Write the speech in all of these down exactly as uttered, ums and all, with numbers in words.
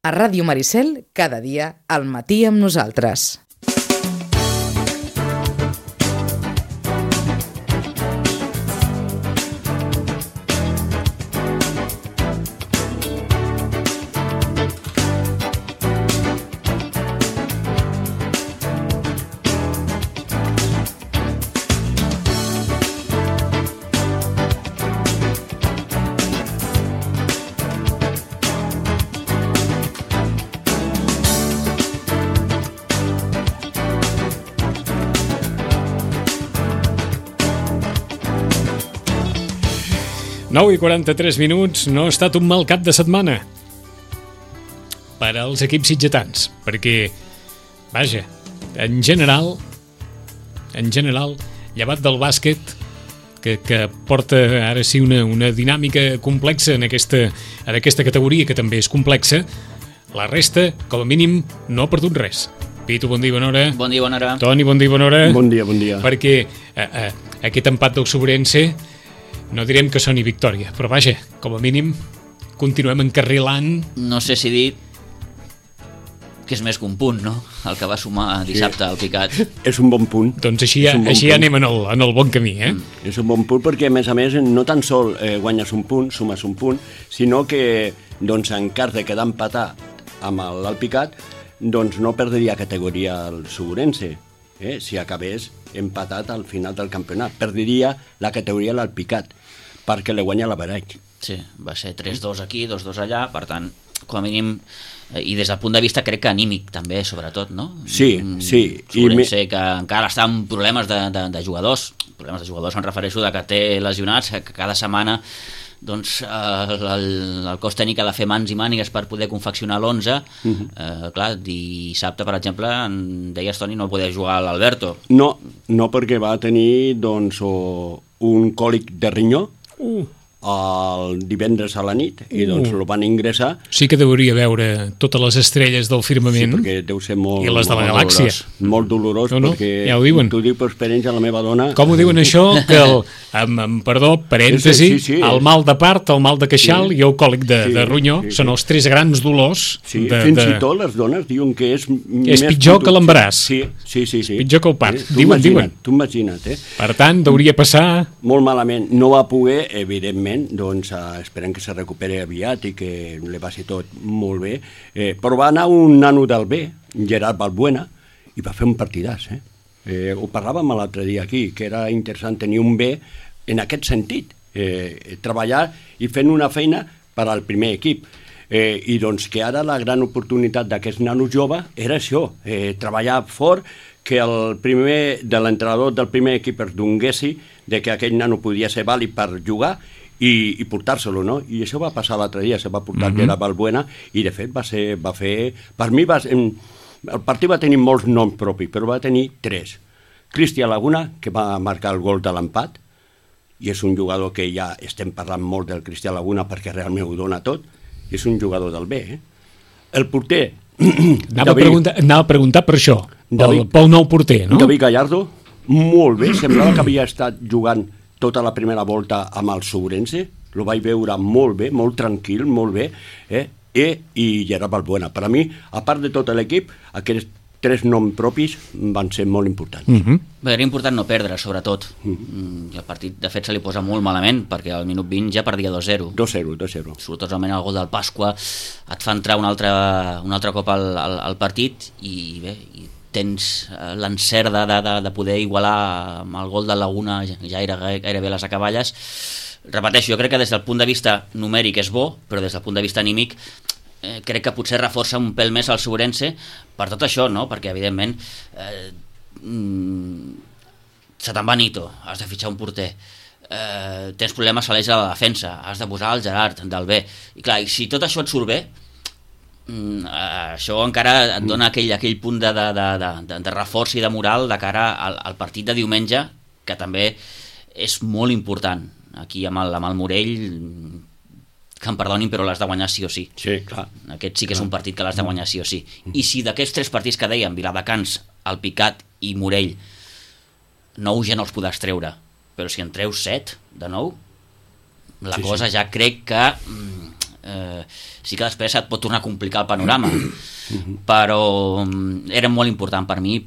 A Ràdio Maricel, cada dia, al matí amb nosaltres. nou i quaranta-tres minuts, no ha estat un mal cap de setmana per als equips sitgetans, perquè, vaja, en general, en general, llevat del bàsquet, que, que porta ara sí una, una dinàmica complexa en aquesta, en aquesta categoria, que també és complexa, la resta, com a mínim, no ha perdut res. Pitu, bon dia, bona hora. Bon dia, bona hora. Toni, bon dia, bona hora. Bon dia, bon dia. Perquè eh, eh, aquest empat del Sobrense, no direm que soni victòria, però vaja, com a mínim continuem encarrilant. No sé si dir que és més que un punt, no? El que va sumar dissabte al Picat. És un bon punt. Doncs així, ja, bon així ja punt. anem en el, en el bon camí, eh? Mm. És un bon punt perquè, a més a més, no tan sol eh, guanyes un punt, sumes un punt, sinó que, doncs, en cas de quedar empatar amb l'Alpicat, doncs no perdria categoria el Segurense, eh? Si acabés empatat al final del campionat. Perdiria la categoria l'Alpicat, perquè le guanya la Baraix. Sí, va ser tres dos aquí, dos dos allà, per tant, com a mínim, i des del punt de vista crec que anímic també, sobretot, no? Sí, sí. Segurense I... que encara està amb problemes de, de, de jugadors, problemes de jugadors em refereixo de que té lesionats, que cada setmana doncs el, el, el cos tècnic ha de fer mans i mànigues per poder confeccionar l'onze. Uh-huh. eh, clar, dissabte, per exemple, en deies, Toni, no podia jugar l'Alberto. No, no perquè va tenir doncs, o, un còlic de rinyó, uh. el divendres a la nit, i doncs uh. el van ingressar. Sí que deuria veure totes les estrelles del firmament. Sí, perquè deu ser molt... I les de la galàxia. Dolorós, molt dolorós, no, no, perquè ja ho diuen. t'ho dic per experiència, la meva dona... Com ho diuen això? Que el, amb, amb perdó, parèntesi, sí, sí, sí, el mal de part, el mal de queixal sí. i el còlic de, sí, de ronyó sí, sí. són els tres grans dolors. Sí, de, fins de... i tot les dones diuen que és... És pitjor que l'embaràs. Sí, sí, sí, sí. Pitjor que el part. Eh? Diuen, diuen. Tu imagina't, eh? Per tant, hauria passar... Molt malament. No va poder, evidentment, doncs esperem que se recuperi aviat i que li passi tot molt bé, eh, però va anar un nano del B, Gerard Balbuena, i va fer un partidàs, eh? Eh, ho parlàvem l'altre dia aquí, que era interessant tenir un B en aquest sentit, eh, treballar i fent una feina per al primer equip. Eh, I doncs que ara la gran oportunitat d'aquest nano jove era això, eh, treballar fort, que el primer de l'entrenador del primer equip es donguessi de que aquell nano podia ser vàlid per jugar i, i portar-se-lo, no? I això va passar l'altre dia, se va portar mm-hmm. Gerard Balbuena i de fet va ser, va fer, per mi va ser, el partit va tenir molts noms propis, però va tenir tres. Cristian Laguna, que va marcar el gol de l'empat, i és un jugador que ja estem parlant molt del Cristian Laguna perquè realment ho dona tot, és un jugador del B, eh? El porter... Anava, David, a preguntar, anava a preguntar per això, David, pel, pel nou porter, no? David Gallardo, molt bé, semblava que havia estat jugant tota la primera volta amb el Segurense, lo vaig veure molt bé, molt tranquil, molt bé, eh? E, i Gerard Balbuena. Per a mi, a part de tot l'equip, aquests tres noms propis van ser molt importants. Mm-hmm. Bé, era important no perdre, sobretot. Mm-hmm. El partit, de fet, se li posa molt malament, perquè al minut vint ja perdia dos zero. dos zero, dos zero. Sobretot el gol del Pasqua et fa entrar un altre, un altre cop al, al, al partit i bé, i tens l'encert de, de, de poder igualar amb el gol de Laguna, ja era gairebé les acaballes. Repeteixo, jo crec que des del punt de vista numèric és bo, però des del punt de vista anímic eh, crec que potser reforça un pèl més el Segurense per tot això, no? Perquè evidentment eh, mm, se te'n va Nito, has de fitxar un porter, eh, tens problemes a l'eix de la defensa, has de posar el Gerard del B, i clar, i si tot això et surt bé, Mm, això encara et dona aquell, aquell punt de, de, de, de, de reforç i de moral de cara al, al partit de diumenge, que també és molt important. Aquí amb el, amb el Morell, que em perdonin, però l'has de guanyar sí o sí. Sí, clar. Aquest sí que és un partit que l'has de guanyar sí o sí. I si d'aquests tres partits que dèiem, Viladecans, el Picat i Morell, nou ja no els podràs treure, però si en treus set de nou, la sí, cosa sí. ja crec que... Mm, eh, sí que després et pot tornar a complicar el panorama, però era molt important per mi,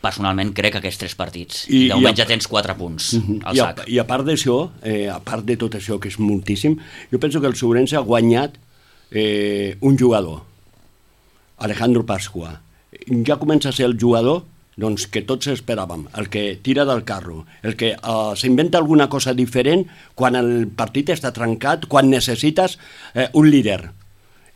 personalment crec, aquests tres partits. I, I de moment ja tens quatre punts al I sac. A, I a part d'això, eh, a part de tot això, que és moltíssim, jo penso que el Sobrense ha guanyat eh, un jugador, Alejandro Pascua. Ja comença a ser el jugador doncs, que tots esperàvem, el que tira del carro, el que uh, s'inventa alguna cosa diferent quan el partit està trencat, quan necessites eh, un líder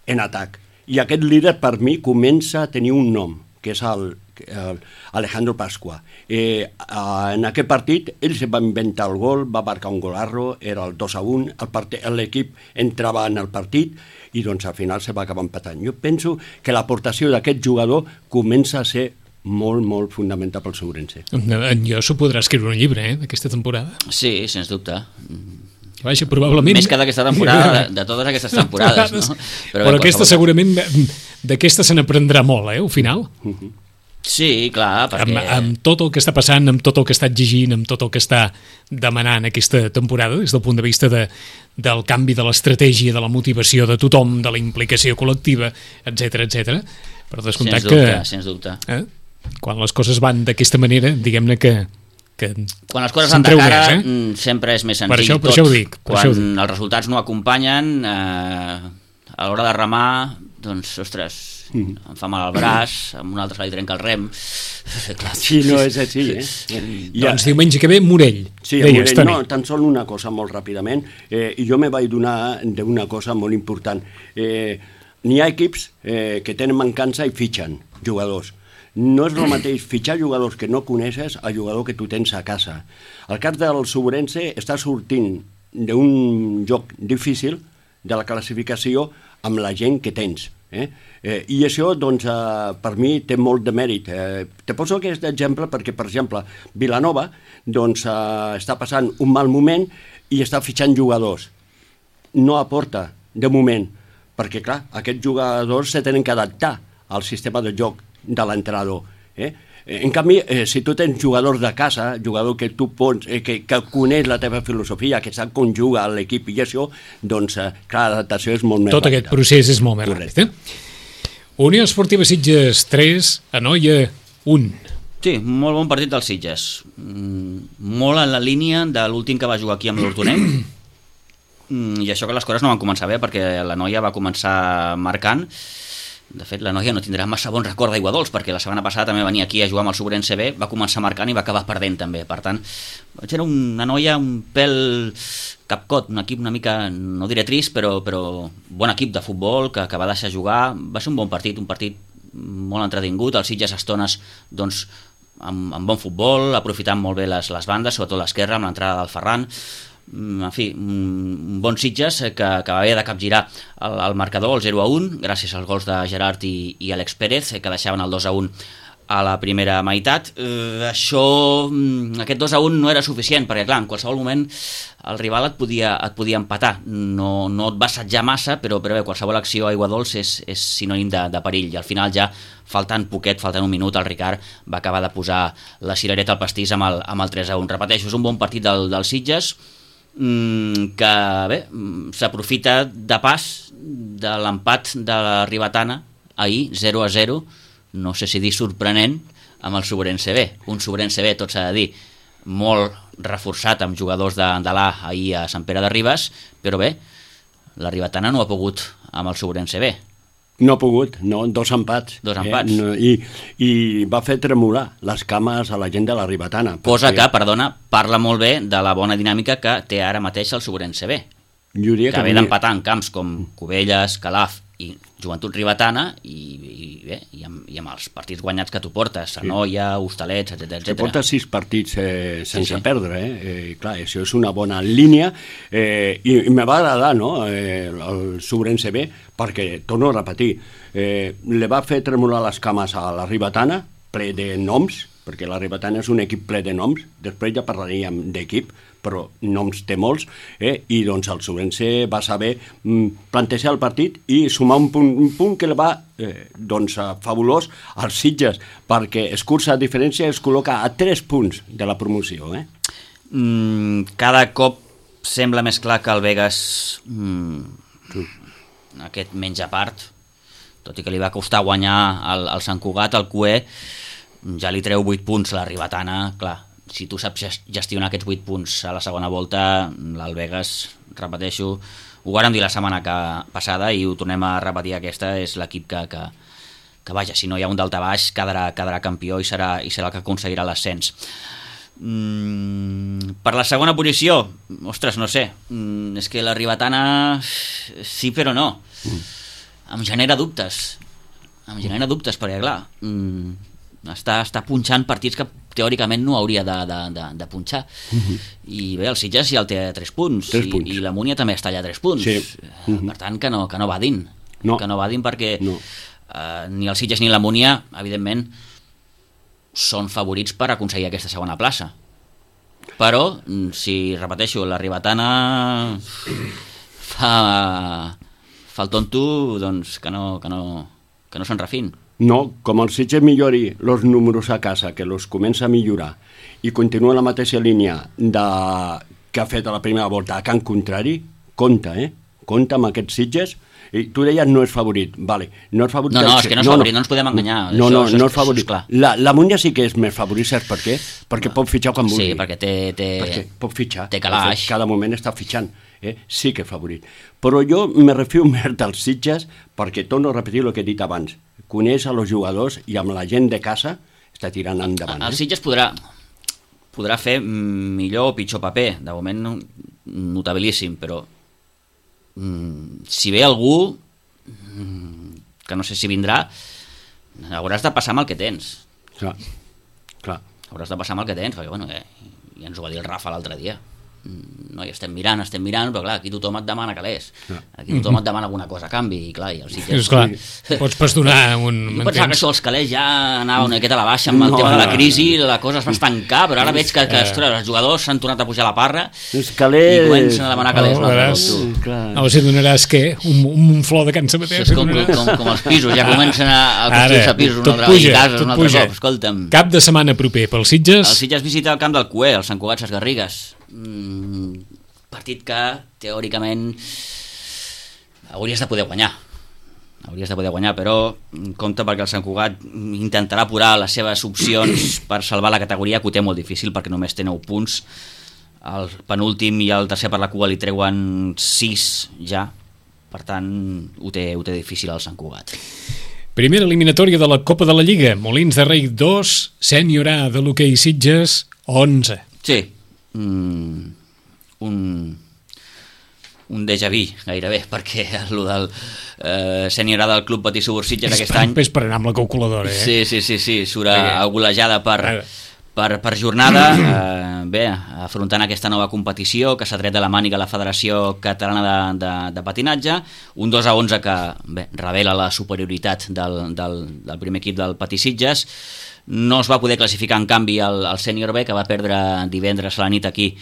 en atac. I aquest líder per mi comença a tenir un nom, que és el, el Alejandro Pascua. Eh, uh, en aquest partit ell se va inventar el gol, va marcar un golarro, era el dos a un, l'equip entrava en el partit i doncs al final se va acabar empatant. Jo penso que l'aportació d'aquest jugador comença a ser molt, molt fundamental pel Sobrense. Jo s'ho podrà escriure un llibre, eh, d'aquesta temporada. Sí, sens dubte. Vaja, probablement... Més que d'aquesta temporada, de, de totes aquestes temporades, no? Però, Però aquesta segurament, d'aquesta se n'aprendrà molt, eh, al final. Uh-huh. Sí, clar, perquè... Amb, amb tot el que està passant, amb tot el que està exigint, amb tot el que està demanant aquesta temporada, des del punt de vista de, del canvi de l'estratègia, de la motivació de tothom, de la implicació col·lectiva, etcètera, etcètera. Però descomptat sens dubte, que... Sens dubte, eh, quan les coses van d'aquesta manera, diguem-ne que... que quan les coses van de cara, més, eh? sempre és més senzill. Per això, per tot. això ho dic. Per quan això ho dic. Els resultats no acompanyen, eh, a l'hora de remar, doncs, ostres, mm. em fa mal el braç, amb un altre se li trenca el rem. Clar, sí, no és així, eh? Ja. Doncs diumenge que ve, Morell. Sí, deies, Morell, no, tan sol una cosa molt ràpidament, eh, i jo me vaig donar d'una cosa molt important. Eh, n'hi ha equips eh, que tenen mancança i fitxen jugadors. No és el mateix fitxar jugadors que no coneixes a jugador que tu tens a casa. El cas del Sobrense està sortint d'un joc difícil de la classificació amb la gent que tens. Eh? Eh, I això, doncs, eh, per mi té molt de mèrit. Eh, te poso aquest exemple perquè, per exemple, Vilanova doncs, eh, està passant un mal moment i està fitxant jugadors. No aporta, de moment, perquè, clar, aquests jugadors se tenen que adaptar al sistema de joc de l'entrenador. Eh? En canvi, eh, si tu tens jugadors de casa, jugador que tu pots, eh, que, que coneix la teva filosofia, que sap com juga l'equip i això, doncs, eh, clar, l'adaptació és molt més Tot ràpida. aquest procés és molt més ràpid. Eh? Unió Esportiva Sitges tres, Anoia un. Sí, molt bon partit dels Sitges. Molt en la línia de l'últim que va jugar aquí amb l'Hortonet. I això que les coses no van començar bé, perquè la noia va començar marcant. De fet, la noia no tindrà massa bon record d'Aigua Dols, perquè la setmana passada també venia aquí a jugar amb el Sobrense B, va començar marcant i va acabar perdent també. Per tant, era una noia un pèl capcot, un equip una mica, no diré trist, però, però bon equip de futbol que, que va deixar jugar. Va ser un bon partit, un partit molt entretingut, els Sitges estones doncs, amb, amb bon futbol, aprofitant molt bé les, les bandes, sobretot l'esquerra, amb l'entrada del Ferran. En fi, un bon Sitges que, que va haver de capgirar el, el marcador, el zero a un, gràcies als gols de Gerard i, i Àlex Pérez, que deixaven el dos a un a la primera meitat. Eh, això, aquest dos a un no era suficient, perquè clar, en qualsevol moment el rival et podia, et podia empatar. No, no et va assetjar massa, però, però bé, qualsevol acció a Aigua Dols és, és sinònim de, de perill, i al final ja, faltant poquet, faltant un minut, el Ricard va acabar de posar la cirereta al pastís amb el, amb el tres a un. Repeteixo, és un bon partit del, dels Sitges, que bé, s'aprofita de pas de l'empat de la Ribetana ahir, zero a zero, no sé si dir sorprenent, amb el Sobrense B. Un Sobrense B, tot s'ha de dir, molt reforçat amb jugadors de, de l'A ahir a Sant Pere de Ribes, però bé, la Ribetana no ha pogut amb el Sobrense B. No ha pogut, no, dos empats. Dos empats. Eh? No, i, I va fer tremolar les cames a la gent de la Ribetana. Cosa perquè... que, perdona, parla molt bé de la bona dinàmica que té ara mateix el Sobrense B. Que, que ve d'empatar en camps com Cubelles, Calaf i Joventut Ribetana i, i, bé, i, amb, i amb els partits guanyats que tu portes, Anoia, sí. Hostalets, etcètera. Que porta sis partits eh, sense sí, sí. perdre, eh? eh? Clar, això és una bona línia, eh, i, i me va agradar, no?, eh, el Sobrense B, perquè, torno a repetir, eh, le va fer tremolar les cames a la Ribetana, ple de noms, perquè la Ribetana és un equip ple de noms, després ja parlaríem d'equip, però noms té molts, eh? I doncs el Sobrense va saber mm, plantejar el partit i sumar un punt, un punt que el va eh, doncs, fabulós als Sitges, perquè escurça a diferència, es col·loca a tres punts de la promoció. Eh? Mm, cada cop sembla més clar que el Vegas mm, aquest menys a part, tot i que li va costar guanyar el, el Sant Cugat, el Cué ja li treu vuit punts a la Ribetana. Clar, si tu saps gestionar aquests vuit punts a la segona volta, l'Albegas, repeteixo, ho vàrem dir la setmana que, passada i ho tornem a repetir, aquesta és l'equip que, que, que vaja, si no hi ha un daltabaix quedarà, quedarà campió i serà, i serà el que aconseguirà l'ascens. Mm, per la segona posició, ostres, no sé, mm, és que la Ribetana sí però no, mm. em genera dubtes, em genera dubtes perquè clar, mm, està, està punxant partits que teòricament no hauria de, de, de, de punxar. Uh-huh. I bé, el Sitges ja el té a tres punts, tres i, punts. i la Múnia també està allà a tres punts. Sí. Uh-huh. Per tant, que no, que no vadin. No. Que no vadin perquè no. eh, ni el Sitges ni la Múnia, evidentment, són favorits per aconseguir aquesta segona plaça. Però, si repeteixo, la Ribetana fa, fa el tonto, doncs que no, que no, que no se'n refin. No, com el Sitges millori els números a casa, que els comença a millorar i continua la mateixa línia de... que ha fet a la primera volta a Can Contrari, compta, eh? Compta amb aquests Sitges. I tu deies no és favorit, vale. No, és favorit no, no, és que no és favorit, no, no ens podem enganyar. No, no, això, no és, és favorit. És la, la Múnia sí que és més favorit, saps per què? Perquè pot fitxar quan vulgui. Sí, perquè té... té perquè pot fitxar. Té calaix. Cada moment està fitxant. Eh? Sí que és favorit. Però jo me refio més dels Sitges perquè torno a repetir el que he dit abans. Coneix els jugadors i amb la gent de casa està tirant endavant. El eh? Sitges podrà, podrà fer millor o pitjor paper. De moment notabilíssim, però mm, si ve algú mm, que no sé si vindrà, hauràs de passar amb el que tens. Clar, clar. Hauràs de passar amb el que tens, perquè bueno, eh, ja ens ho va dir el Rafa l'altre dia. No, i estem mirant, estem mirant, però clar, aquí tothom et demana calés. Aquí tothom et demana alguna cosa a canvi, i clar, i els Sitges... És clar, pots pas donar un... Jo pensava que això dels calés ja anava una miqueta a la baixa amb el no, tema de la crisi, la cosa es va estancar, però ara veig que, que ostres, els jugadors s'han tornat a pujar a la parra els calés... i comencen a demanar calés. No, veràs, no, si donaràs què? Un, un flor de Can Sabater? És com, com, com els pisos, ja comencen a, a construir-se pisos un altre, puja, i cases un altre cop. Escolta'm. Cap de setmana proper pel Sitges? El Sitges visita el camp del Cué, el Sant Cugat Ses Garrigues. Mm, partit que teòricament hauries de poder guanyar hauries de poder guanyar, però compte perquè el Sant Cugat intentarà apurar les seves opcions per salvar la categoria, que ho té molt difícil perquè només té nou punts. El penúltim i el tercer per la cua li treuen sis ja, per tant ho té, ho té difícil el Sant Cugat. Primera eliminatòria de la Copa de la Lliga, Molins de Rei dos, Sènior A de l'hoquei Sitges onze. Sí, mm, un un déjà vu gairebé, perquè el del eh, Sènior A del Club Patí Subur Sitges aquest any és per anar amb la calculadora, eh? Sí, sí, sí, sí surt a golejada per, per, per jornada, eh, bé, afrontant aquesta nova competició que s'ha tret de la màniga la Federació Catalana de, de, de Patinatge, un dos a onze que bé, revela la superioritat del, del, del primer equip del Patí Sitges. No es va poder classificar en canvi el, el Sènior B, que va perdre divendres a la nit aquí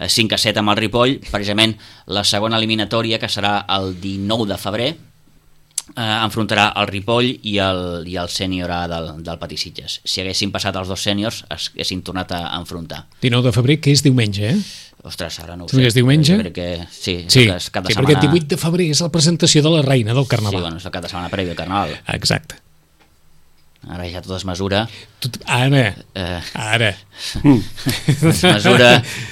cinc a set amb el Ripoll, precisament la segona eliminatòria, que serà el dinou de febrer, eh, enfrontarà el Ripoll i el, i el Sènior A del, del Patí Sitges. Si haguessin passat els dos sèniors, es haguessin tornat a enfrontar. dinou de febrer, que és diumenge, eh? Ostres, ara no ho sé. És diumenge? Que, sí, sí, és cap de sí setmana... perquè el divuit de febrer és la presentació de la reina del Carnaval. Sí, bueno, és el cap de setmana previ al Carnaval. Exacte. Ara ja tot es mesura. Tot, ara, eh, ara. Es mesura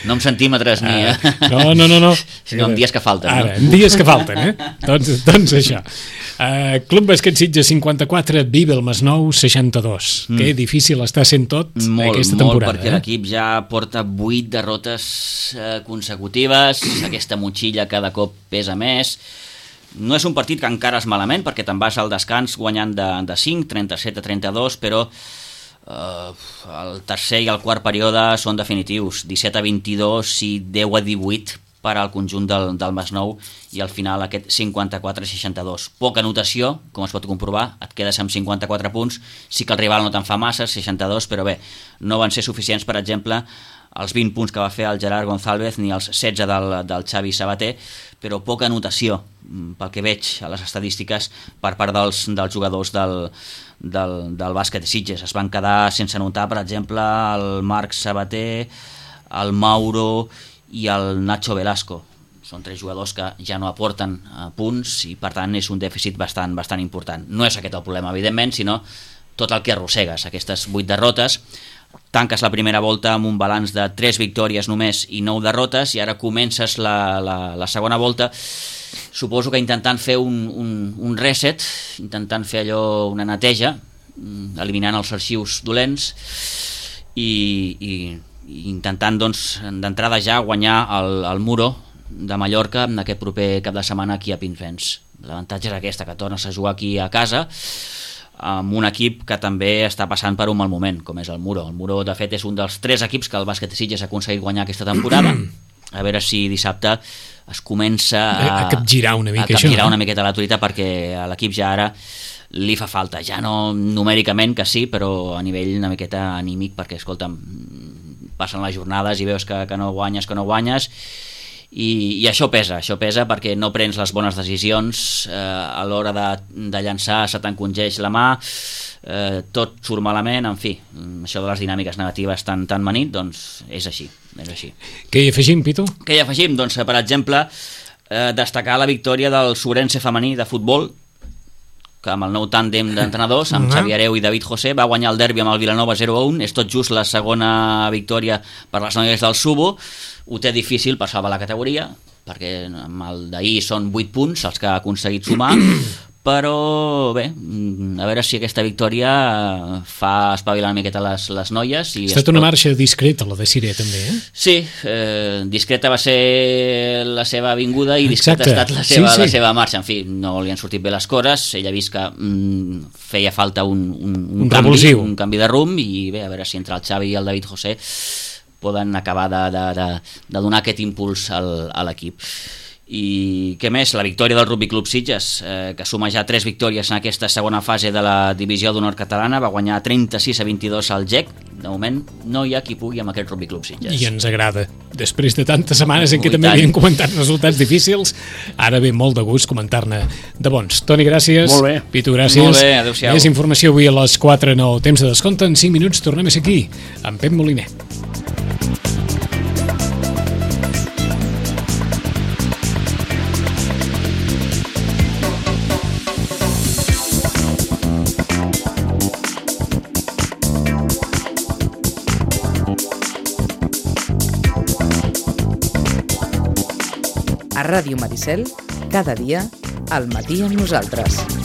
no amb centímetres ni... Eh, no, no, no, no. Sinó en dies que falten. Ara, no? en dies que falten, eh? doncs, doncs això. Uh, Club Bàsquet Sitges cinquanta-quatre, Vive el Masnou seixanta-dos. Mm. Que difícil està sent tot molt, aquesta temporada. Molt, perquè eh? l'equip ja porta vuit derrotes eh, consecutives, aquesta motxilla cada cop pesa més. No és un partit que encara és malament, perquè te'n vas al descans guanyant de, de cinc, trenta-set a trenta-dos, però eh, el tercer i el quart període són definitius, disset a vint-i-dos i deu a divuit per al conjunt del, del Masnou, i al final aquest cinquanta-quatre a seixanta-dos. Poca anotació, com es pot comprovar, et quedes amb cinquanta-quatre punts, sí que el rival no te'n fa massa, seixanta-dos, però bé, no van ser suficients, per exemple, els vint punts que va fer el Gerard González ni els setze del, del Xavi Sabater, però poca anotació, pel que veig a les estadístiques, per part dels, dels jugadors del, del, del bàsquet de Sitges. Es van quedar sense anotar, per exemple, el Marc Sabater, el Mauro i el Nacho Velasco. són tres jugadors que ja no aporten uh, punts i per tant és un dèficit bastant, bastant important. No és aquest el problema, evidentment, sinó tot el que arrossegues, aquestes vuit derrotes. Tanques la primera volta amb un balanç de tres victòries només i nou derrotes, i ara comences la, la, la segona volta, suposo que intentant fer un, un, un reset, intentant fer allò, una neteja, eliminant els arxius dolents i, i, i intentant doncs, d'entrada ja guanyar el, el Muro de Mallorca en aquest proper cap de setmana aquí a Pinsbens. L'avantatge és aquesta, que tornes a jugar aquí a casa amb un equip que també està passant per un mal moment, com és el Muro. El Muro, de fet, és un dels tres equips que el Bàsquet de Sitges ha aconseguit guanyar aquesta temporada. A veure si dissabte es comença a, a capgirar una mica a capgirar això, una miqueta la truita, perquè a l'equip ja ara li fa falta, ja no numèricament, que sí, però a nivell una miqueta anímic, perquè, escolta'm, passen les jornades i veus que, que no guanyes, que no guanyes, i, i això pesa, això pesa perquè no prens les bones decisions, eh, a l'hora de, de llançar se t'encongeix la mà, eh, tot surt malament, en fi, això de les dinàmiques negatives tan, tan manit, doncs és així, és així. Què hi afegim, Pitu? Què hi afegim? Doncs, per exemple, eh, destacar la victòria del Sobrense femení de futbol, que amb el nou tàndem d'entrenadors, amb uh -huh. Xavi Areu i David José, va guanyar el derbi amb el Vilanova zero a un. És tot just la segona victòria per les noies del Subo. Ho té difícil per salvar la categoria, perquè amb el d'ahir són vuit punts els que ha aconseguit sumar, però bé, a veure si aquesta victòria fa espavilar una miqueta les, les noies. I ha estat una marxa discreta, la de Siré, també, eh? Sí, eh, discreta va ser la seva vinguda i discreta Exacte. ha estat la seva, sí, sí. la seva marxa. En fi, no li han sortit bé les coses, ella ha vist que mm, feia falta un, un, un, Un canvi, revulsiu. un canvi de rumb, i bé, a veure si entre el Xavi i el David José poden acabar de, de, de, de donar aquest impuls al, a l'equip. I què més? La victòria del Rugby Club Sitges, eh, que suma ja tres victòries en aquesta segona fase de la divisió d'honor catalana, va guanyar trenta-sis a vint-i-dos al G E C. De moment no hi ha qui pugui amb aquest Rugby Club Sitges. I ens agrada. Després de tantes setmanes en què Ui, també tant. havien comentat resultats difícils, ara ve molt de gust comentar-ne de bons. Toni, gràcies. Molt bé. Pitu, gràcies. Molt bé, adéu-siau. Més informació avui a les quatre, nou, temps de descompte. En cinc minuts tornem a ser aquí, amb Pep Moliner. A Ràdio Maricel, cada dia, al matí amb nosaltres.